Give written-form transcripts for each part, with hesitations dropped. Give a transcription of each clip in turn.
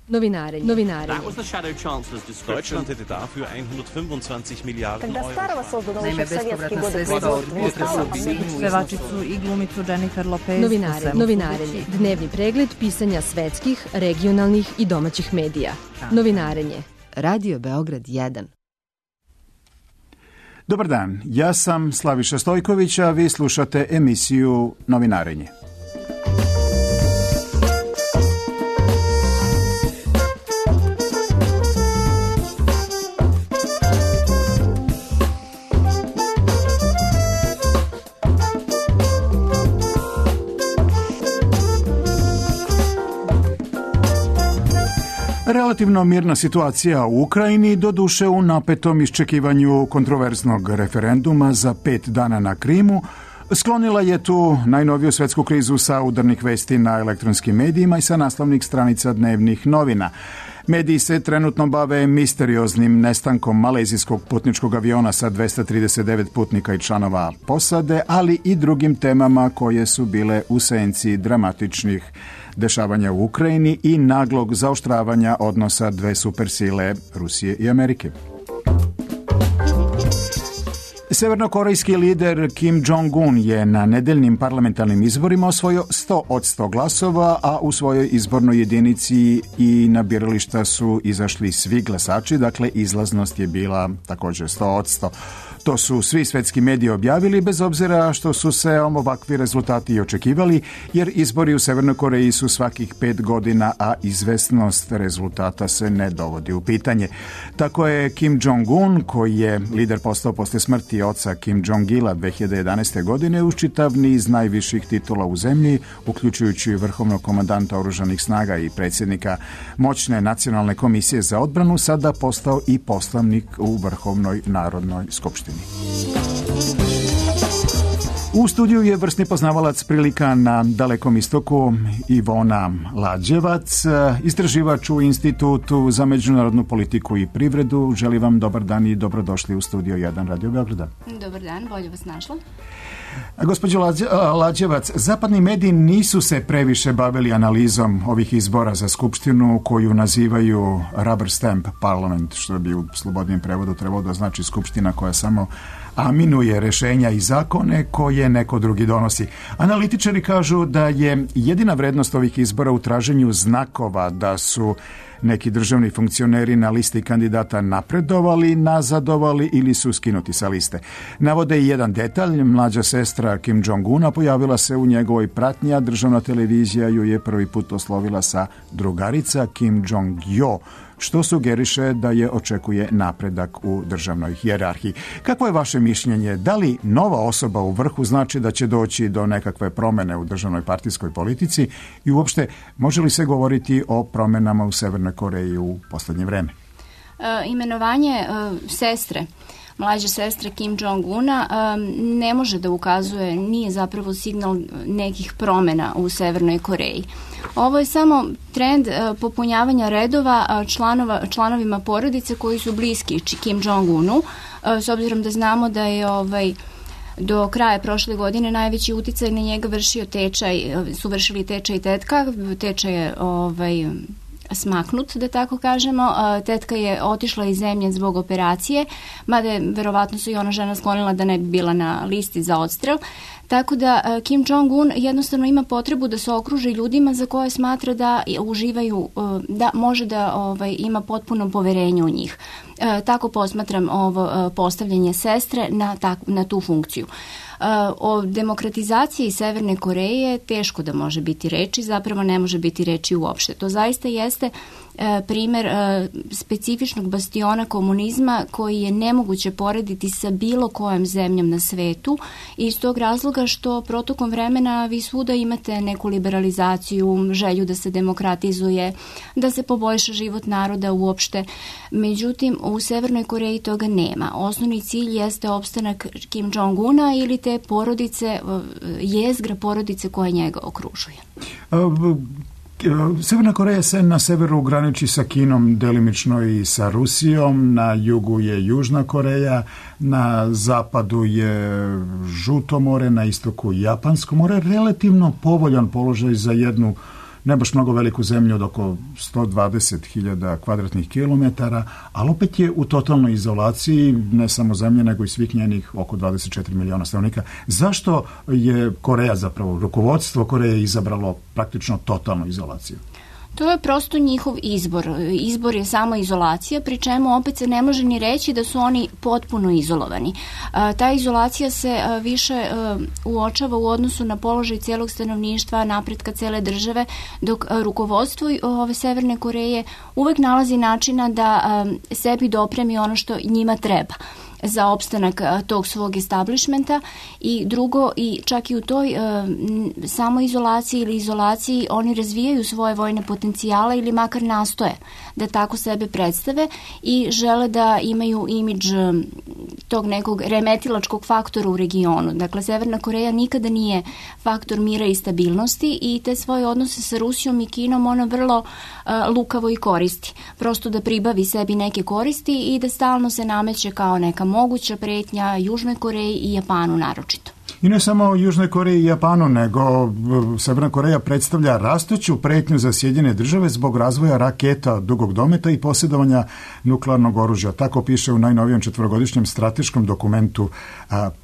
Novinarenje. That was the Shadow Chancellor's description. Deutschland hätte dafür 125 Milijarden Euro. Naime, bespovratna sredstva od pevačicu i glumicu Jennifer Lopez. Novinarenje. Dnevni pregled pisanja svetskih, regionalnih i domaćih medija. Novinarenje. Radio Beograd 1. Dobar dan, ja sam Slaviša Stojković, a vi slušate emisiju Novinarenje. Relativno mirna situacija u Ukrajini, doduše u napetom iščekivanju kontroverznog referenduma za 5 dana na Krimu, sklonila je tu najnoviju svetsku krizu sa udarnih vesti na elektronskim medijima i sa naslovnih stranica dnevnih novina. Mediji se trenutno bave misterioznim nestankom malezijskog putničkog aviona sa 239 putnika i članova posade, ali i drugim temama koje su bile u senci dramatičnih dešavanja u Ukrajini i naglog zaoštravanja odnosa dve supersile Rusije i Amerike. Severnokorejski lider Kim Jong-un je na nedeljnim parlamentarnim izborima osvojio 100% glasova, a u svojoj izbornoj jedinici i na birališta su izašli svi glasači, dakle izlaznost je bila također 100%. To su svi svetski mediji objavili, bez obzira što su se ovakvi rezultati i očekivali, jer izbori u Severnoj Koreji su svakih 5 godina, a izvesnost rezultata se ne dovodi u pitanje. Tako je Kim Jong-un, koji je lider postao posle smrti oca Kim Jong-ila 2011. godine, uz čitav niz najviših titula u zemlji, uključujući vrhovnog komandanta oružanih snaga i predsjednika moćne nacionalne komisije za odbranu, sada postao i poslanik u Vrhovnoj narodnoj skupštini. U studiju je vrsni poznavalac prilika na Dalekom istoku Ivona Lađevac, istraživač u Institutu za međunarodnu politiku i privredu. Želim vam dobar dan i dobrodošli u studio 1 Radio Beograda. Dobar dan, bolje vas našla. Gospođo Lađevac, zapadni mediji nisu se previše bavili analizom ovih izbora za skupštinu koju nazivaju rubber stamp parliament, što bi u slobodnijem prevodu trebalo da znači skupština koja samo aminuje rešenja i zakone koje neko drugi donosi. Analitičari kažu da je jedina vrednost ovih izbora u traženju znakova da su neki državni funkcioneri na listi kandidata napredovali, nazadovali ili su skinuti sa liste. Navode i jedan detalj, mlađa sestra Kim Jong-una pojavila se u njegovoj pratnji, a državna televizija ju je prvi put oslovila sa drugarica Kim Jong-jo, što sugeriše da je očekuje napredak u državnoj hijerarhiji. Kako je vaše mišljenje? Da li nova osoba u vrhu znači da će doći do nekakve promene u državnoj partijskoj politici i uopšte može li se govoriti o promenama u Severnoj Koreji u poslednje vreme? Imenovanje sestre, mlađe sestre Kim Jong-una ne može da ukazuje, nije zapravo signal nekih promena u Severnoj Koreji. Ovo je samo trend popunjavanja redova članovima porodice koji su bliski Kim Jong-unu, s obzirom da znamo da je do kraja prošle godine najveći uticaj na njega su vršili tečaj tetka, tečaj je smaknut, da tako kažemo. Tetka je otišla iz zemlje zbog operacije, mada je verovatno se i ona žena sklonila da ne bi bila na listi za odstrel. Tako da Kim Jong-un jednostavno ima potrebu da se okruži ljudima za koje smatra da uživaju, da može da ima potpuno poverenje u njih. Tako posmatram ovo postavljanje sestre na tu funkciju. O demokratizaciji Severne Koreje teško da može biti reči, zapravo ne može biti reči uopšte. To zaista jeste primer specifičnog bastiona komunizma koji je nemoguće porediti sa bilo kojom zemljom na svetu i iz tog razloga što protokom vremena vi svuda imate neku liberalizaciju, želju da se demokratizuje, da se poboljša život naroda uopšte. Međutim, u Severnoj Koreji toga nema. Osnovni cilj jeste opstanak Kim Jong-una ili te porodice, jezgra porodice koja njega okružuje. Severna Koreja se na severu graniči sa Kinom, delimično i sa Rusijom, na jugu je Južna Koreja, na zapadu je Žuto more, na istoku Japansko more, relativno povoljan položaj za jednu ne baš mnogo veliku zemlju od oko 120.000 kvadratnih kilometara, ali opet je u totalnoj izolaciji ne samo zemlje, nego i svih njenih oko 24 miliona stanovnika. Zašto je Koreja, zapravo rukovodstvo Koreje, izabralo praktično totalnu izolaciju? To je prosto njihov izbor. Izbor je samo izolacija, pri čemu opet se ne može ni reći da su oni potpuno izolovani. Ta izolacija se više uočava u odnosu na položaj celog stanovništva, napretka cele države, dok rukovodstvo ove Severne Koreje uvek nalazi načina da sebi dopremi ono što njima treba za opstanak tog svog establishmenta. I drugo, i čak i u toj samoizolaciji ili izolaciji oni razvijaju svoje vojne potencijale ili makar nastoje da tako sebe predstave i žele da imaju imidž tog nekog remetilačkog faktora u regionu. Dakle, Severna Koreja nikada nije faktor mira i stabilnosti i te svoje odnose sa Rusijom i Kinom ona vrlo lukavo i koristi. Prosto da pribavi sebi neke koristi i da stalno se nameće kao neka moguća pretnja Južnoj Koreji i Japanu naročito. I ne samo Južnoj Koreji i Japanu, nego Severna Koreja predstavlja rastuću pretnju za Sjedinjene države zbog razvoja raketa dugog dometa i posjedovanja nuklearnog oružja. Tako piše u najnovijem 4-godišnjem strateškom dokumentu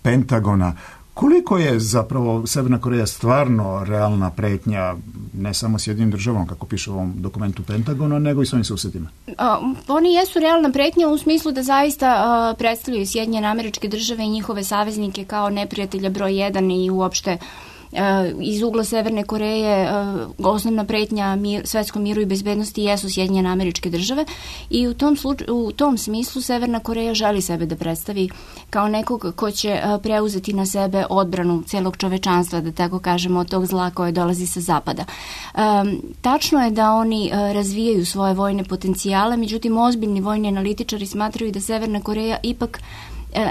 Pentagona. Koliko je zapravo Severna Koreja stvarno realna pretnja ne samo Sjedinjenim državom, kako piše u ovom dokumentu Pentagona, nego i svojim susjedima? Oni jesu realna pretnja u smislu da zaista predstavljaju Sjedinjene Američke Države i njihove saveznike kao neprijatelja broj 1 i uopšte iz ugla Severne Koreje osnovna pretnja svetskom miru i bezbednosti jesu Sjedinjene Američke Države i u tom smislu Severna Koreja želi sebe da predstavi kao nekog ko će preuzeti na sebe odbranu celog čovečanstva, da tako kažemo, od tog zla koje dolazi sa zapada. Tačno je da oni razvijaju svoje vojne potencijale, međutim ozbiljni vojni analitičari smatraju da Severna Koreja ipak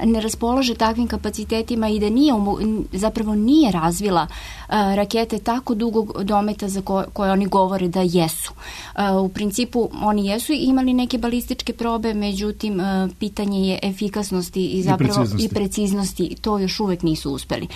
ne raspolaže takvim kapacitetima i da zapravo nije razvila rakete tako dugog dometa za koje oni govore da jesu. U principu oni jesu imali neke balističke probe, međutim pitanje je efikasnosti i zapravo i preciznosti, to još uvek nisu uspeli.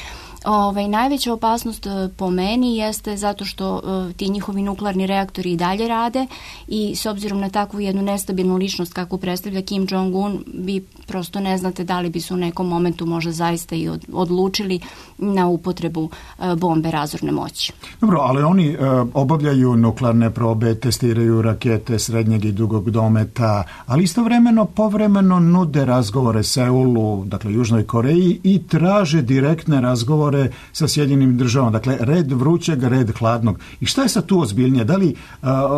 Najveća opasnost po meni jeste zato što ti njihovi nuklearni reaktori i dalje rade i s obzirom na takvu jednu nestabilnu ličnost kakvu predstavlja Kim Jong-un, vi prosto ne znate da li bi se u nekom momentu možda zaista i odlučili na upotrebu bombe razorne moći. Dobro, ali oni obavljaju nuklearne probe, testiraju rakete srednjeg i dugog dometa, ali istovremeno povremeno nude razgovore Seulu, dakle Južnoj Koreji, i traže direktne razgovore sa Sjedinjenim državama. Dakle, red vrućeg, red hladnog. I šta je sad tu ozbiljnije? Da li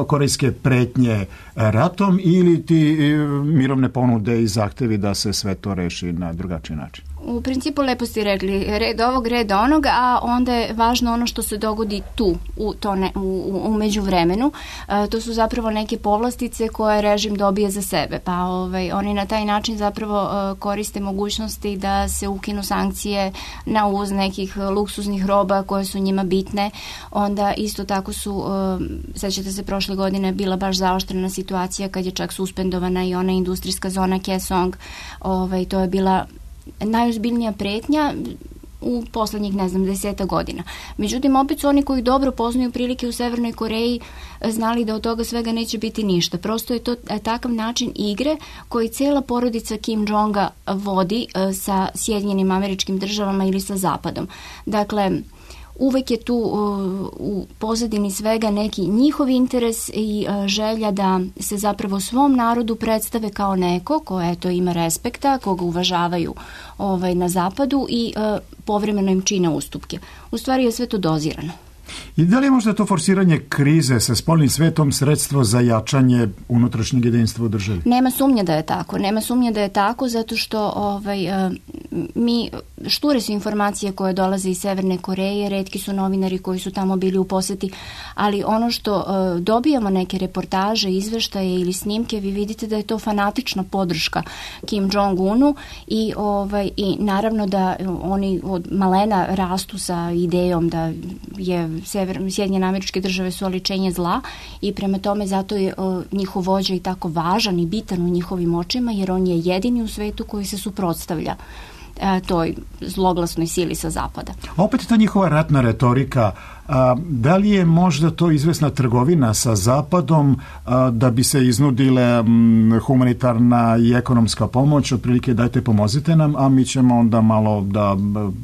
korejske pretnje ratom ili ti mirovne ponude i zahtevi da se sve to reši na drugačiji način? U principu lepo ste rekli, red ovog, red onog, a onda je važno ono što se dogodi tu, u međuvremenu. To su zapravo neke povlastice koje režim dobije za sebe, pa oni na taj način zapravo koriste mogućnosti da se ukinu sankcije na uvoz nekih luksuznih roba koje su njima bitne. Onda isto tako su, sećate se, prošle godine bila baš zaoštrena situacija kad je čak suspendovana i ona industrijska zona Kaesong. To je bila najozbiljnija pretnja u poslednjih, 10 godina. Međutim, opet su oni koji dobro poznaju prilike u Severnoj Koreji znali da od toga svega neće biti ništa. Prosto je to takav način igre koji cela porodica Kim Jonga vodi sa Sjedinjenim Američkim Državama ili sa Zapadom. Dakle, uvek je tu u pozadini svega neki njihov interes i želja da se zapravo svom narodu predstave kao neko ko ima respekta, koga uvažavaju na zapadu i povremeno im čine ustupke. U stvari je sve to dozirano. I da li je možda to forsiranje krize sa spoljnim svetom sredstvo za jačanje unutrašnjeg jedinstva u državi? Nema sumnje da je tako, zato što šture su informacije koje dolaze iz Severne Koreje, retki su novinari koji su tamo bili u poseti, ali ono što dobijamo neke reportaže, izveštaje ili snimke, vi vidite da je to fanatična podrška Kim Jong-unu i naravno da oni od malena rastu sa idejom da je Sjedinjene Američke Države su oličenje zla i prema tome zato je njihov vođa i tako važan i bitan u njihovim očima, jer on je jedini u svetu koji se suprotstavlja toj zloglasnoj sili sa zapada. A opet ta njihova ratna retorika, da li je možda to izvesna trgovina sa Zapadom da bi se iznudile humanitarna i ekonomska pomoć, otprilike dajte pomozite nam, a mi ćemo onda malo da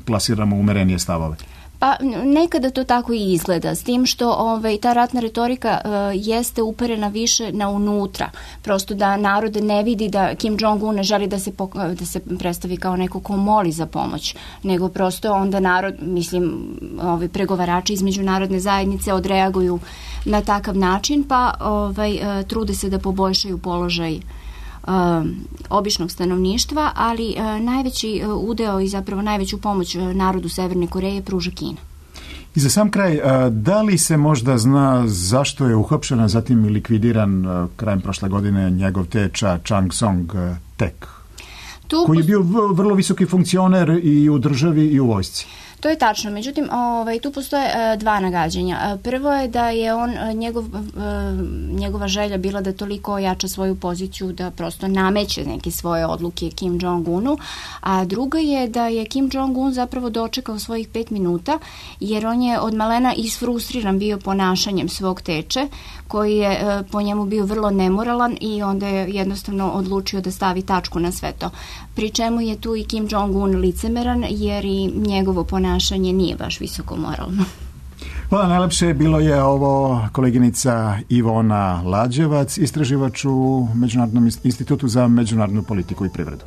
plasiramo umerenije stavove? Pa nekada to tako i izgleda, s tim što ta ratna retorika jeste uperena više na unutra, prosto da narod ne vidi da Kim Jong-un ne želi da se predstavi kao neko ko moli za pomoć, nego prosto onda narod, pregovarači iz međunarodne zajednice odreaguju na takav način, pa trude se da poboljšaju položaj običnog stanovništva, ali najveći udeo i zapravo najveću pomoć narodu Severne Koreje pruža Kina. I za sam kraj, da li se možda zna zašto je uhapšen, a zatim likvidiran krajem prošle godine njegov teča Chang Song-tek, koji je bio vrlo visoki funkcioner i u državi i u vojsci? To je tačno, međutim, tu postoje dva nagađanja. Prvo je da je njegova želja bila da toliko ojača svoju poziciju da prosto nameće neke svoje odluke Kim Jong-unu, a druga je da je Kim Jong-un zapravo dočekao svojih 5 minuta, jer on je od malena isfrustriran bio ponašanjem svog teče, koji je po njemu bio vrlo nemoralan i onda je jednostavno odlučio da stavi tačku na sve to. Pri čemu je tu i Kim Jong-un licemeran, jer i njegovo ponašanje nije baš visoko moralno. Hvala najlepše. Bilo je ovo koleginica Ivona Lađevac, istraživač u Međunarodnom institutu za međunarodnu politiku i privredu.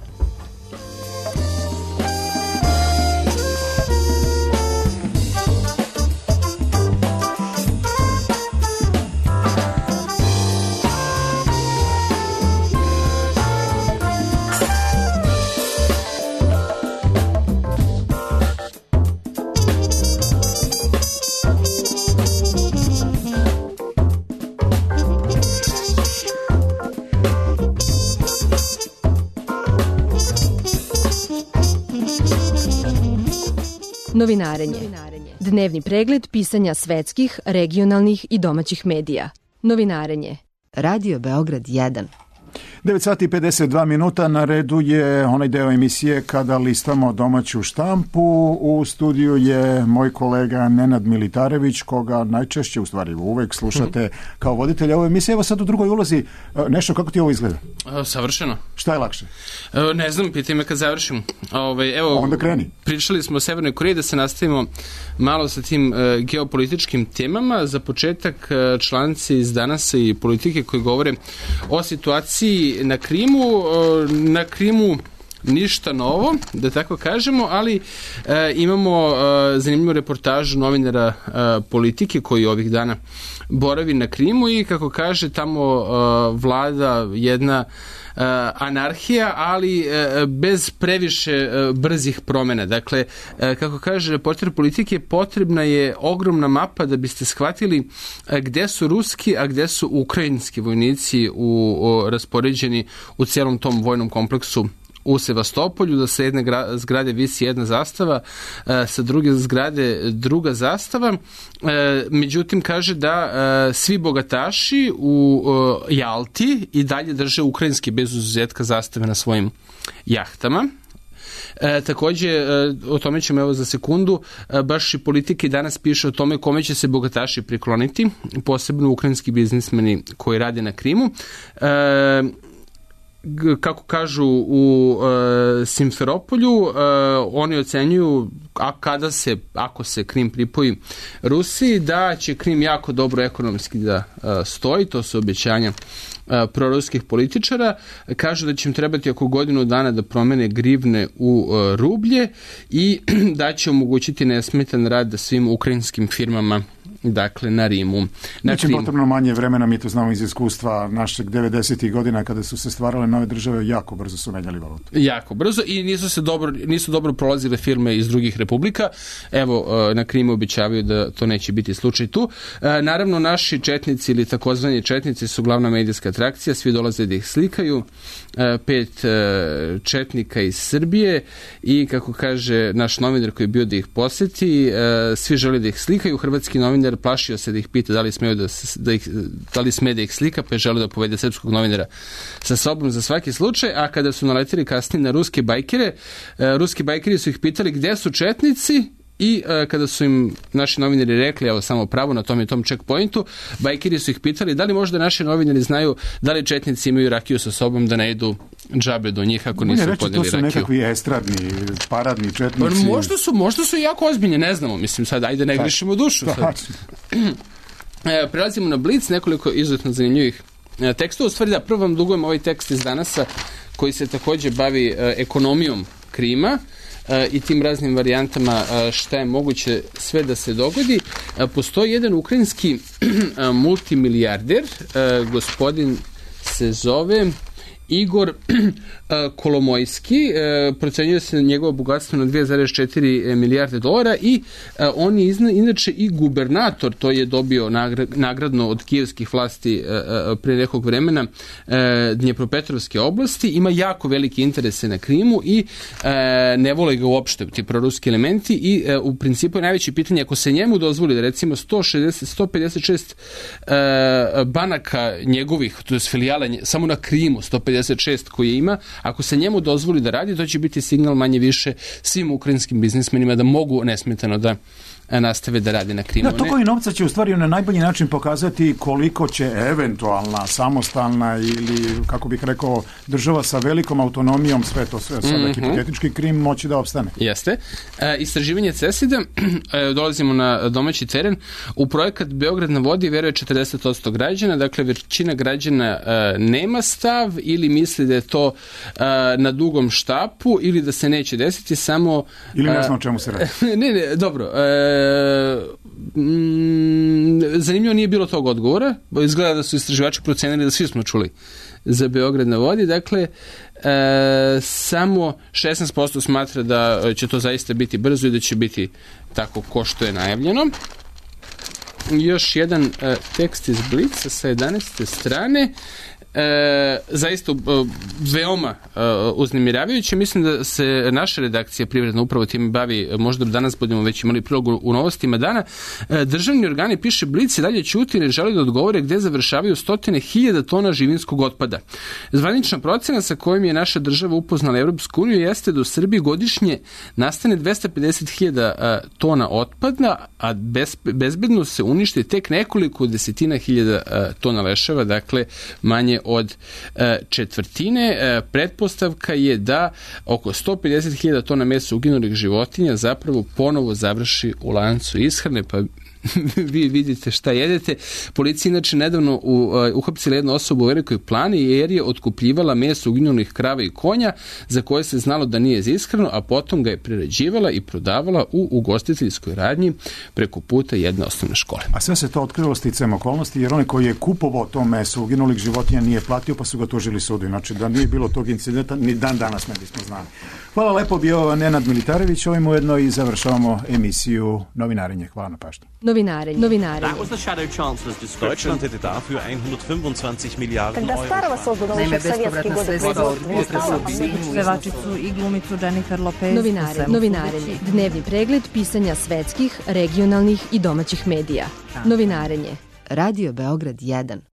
Novinarenje. Dnevni pregled pisanja svetskih, regionalnih i domaćih medija. Novinarenje. Radio Beograd 1. 9 sati i 52 minuta, na redu je onaj deo emisije kada listamo domaću štampu. U studiju je moj kolega Nenad Militarević, koga najčešće, u stvari uvek slušate kao voditelj ove emisije. Evo sad u drugoj ulozi, nešto, kako ti ovo izgleda? Savršeno. Šta je lakše? Ne znam, pitaj me kad završim. Onda kreni. Pričali smo o Severnoj Koreji, da se nastavimo malo sa tim geopolitičkim temama. Za početak članci iz Danasa i Politike koji govore o situaciji na Krimu. Na Krimu ništa novo, da tako kažemo, ali imamo zanimljivu reportažu novinara Politike koji ovih dana boravi na Krimu i kako kaže tamo vlada jedna anarhija, ali bez previše brzih promjena. Dakle, kako kaže reporter Politike, potrebna je ogromna mapa da biste shvatili gde su ruski, a gde su ukrajinski vojnici raspoređeni u celom tom vojnom kompleksu u Sevastopolju, da sa jedne zgrade visi jedna zastava, sa druge zgrade druga zastava. Međutim, kaže da svi bogataši u Jalti i dalje drže ukrajinski bez izuzetka zastave na svojim jahtama. Takođe, o tome ćemo evo za sekundu, baš i Politike danas piše o tome kome će se bogataši prikloniti, posebno ukrajinski biznismeni koji rade na Krimu. Kako kažu u Simferopolju, oni ocenjuju ako se Krim pripoji Rusiji, da će Krim jako dobro ekonomski da stoji, to su obećanja proruskih političara. Kažu da će im trebati oko godinu dana da promene grivne u rublje i da će omogućiti nesmetan rad svim ukrajinskim firmama, dakle na Rimu. Neće potrebno manje vremena, mi to znamo iz iskustva našeg 90. godina kada su se stvarale nove države, jako brzo su menjali valutu. Jako brzo i nisu dobro prolazile firme iz drugih republika. Evo, na Krimu obećavaju da to neće biti slučaj tu. Naravno, naši četnici ili takozvani četnici su glavna medijska atrakcija, svi dolaze da ih slikaju. 5 četnika iz Srbije i kako kaže naš novinar koji je bio da ih poseti, svi žele da ih slikaju. Hrvatski novinar novinar plašio se da ih pita da li sme da ih slika, pa je želeo da povede srpskog novinara sa sobom za svaki slučaj, a kada su naletili kasnije na ruske bajkere, ruski bajkeri su ih pitali gde su četnici. I kada su im naši novinari rekli, evo samo pravo na tom i tom checkpointu, bajkeri su ih pitali da li možda naši novinari znaju da li četnici imaju rakiju sa sobom da ne idu džabe do njih ako nisu podeli rakiju. To su nekakvi estradni, paradni četnici. Možda su jako ozbiljni, ne znamo. Mislim sad, ajde ne grišimo dušu. Prelazimo na Blic, nekoliko izuzetno zanimljivih tekstova. U stvari da, prvo vam dugujem ovaj tekst iz Danasa koji se takođe bavi ekonomijom Krima i tim raznim varijantama šta je moguće sve da se dogodi. Postoji jedan ukrajinski multimilijarder, gospodin se zove Igor Kolomojski, procenjuje se njegovo bogatstvo na 2,4 milijarde dolara i on je inače i gubernator, to je dobio nagradno od kijevskih vlasti pre nekog vremena Dnjepropetrovske oblasti, ima jako velike interese na Krimu i ne vole ga uopšte ti proruski elementi i u principu je najveće pitanje ako se njemu dozvoli da recimo 156 banaka njegovih, to je filijala samo na Krimu, 156 koje ima, ako se njemu dozvoli da radi, to će biti signal manje više svim ukrajinskim biznismenima da mogu nesmetano da nastave da rade na Krimu. Da, tokovi novca će u stvari na najbolji način pokazati koliko će eventualna, samostalna ili, kako bih rekao, država sa velikom autonomijom, sve sada hipotetički Krim, moći da opstane. Jeste. Istraživanje CESID-a, dolazimo na domaći teren, u projekat Beograd na vodi veruje 40% građana, dakle većina građana nema stav ili misli da je to na dugom štapu ili da se neće desiti samo... Ili ne znam o čemu se radi. Ne, dobro. Zanimljivo nije bilo tog odgovora. Izgleda da su istraživači procenili da svi smo čuli za Beograd na vodi. Dakle, samo 16% smatra da će to zaista biti brzo i da će biti tako ko što je najavljeno. Još jedan tekst iz Blica sa 11. strane. Zaista veoma uznemiravajuće. Mislim da se naša redakcija Privredna upravo time bavi, možda danas budemo već imali prilog u novostima dana. Državni organi, piše Blic, i dalje ćuti i ne žele da odgovore gde završavaju 100.000 tona živinskog otpada. Zvanična procena sa kojom je naša država upoznala Evropsku uniju jeste da u Srbiji godišnje nastane 250.000 tona otpada, a bezbedno se uništi tek nekoliko desetina hiljada tona leševa, dakle manje od četvrtine. Pretpostavka je da oko 150.000 tona mesa uginulih životinja zapravo ponovo završi u lancu ishrane, pa vi vidite šta jedete. Policija inače nedavno uhapsila jednu osobu u Velikoj Plani jer je otkupljivala meso uginulih krava i konja za koje se znalo da nije za ishranu, a potom ga je prerađivala i prodavala u ugostiteljskoj radnji preko puta jedne osnovne škole. A sve se to otkrilo sticajem okolnosti jer onaj koji je kupovao to meso uginulih životinja nije platio, pa su ga tužili sudu. Znači da nije bilo tog incidenta, ni dan danas ne bismo znali. Hvala lepo, bio Nenad Militarević, ovim ujedno i završavamo emisiju Novinarenje. Hvala na pažnji. Novinarenje. That was the Shadow Chancellor's description. Deutschland hätte dafür 125 Milliarden Когда Старого создано еще в советские годы pevačicu i glumicu Jennifer Lopez. Novinarenje. Dnevni pregled pisanja svetskih, regionalnih i domaćih medija. Novinarenje. Radio Beograd 1.